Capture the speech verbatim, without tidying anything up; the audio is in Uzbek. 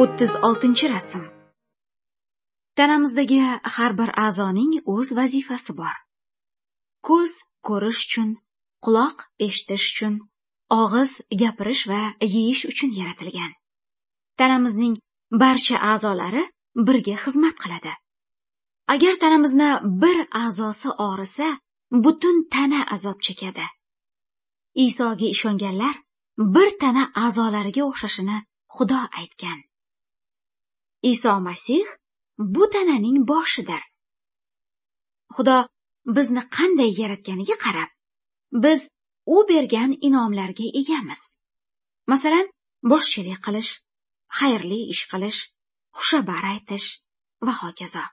O'ttiz oltinchi rasm. Tanamizdagi har bir a'zoning o'z vazifasi bor. Ko'z ko'rish uchun, quloq eshitish uchun, og'iz gapirish va yeyish uchun yaratilgan. Tanamizning barcha a'zolari birga xizmat qiladi. Agar tanamizni bir a'zosi og'risa, butun tana azob chekadi. Isoga ishonganlar bir tana a'zolariga o'xshashini Xudo aytgan. Iso Masih bu tananing boshidir. Xudo bizni qanday yaratganiga qarab, biz u bergan inomlarga egamiz. Masalan, boshchilik qilish, xayrli ish qilish, xushabar aytish va hokazo.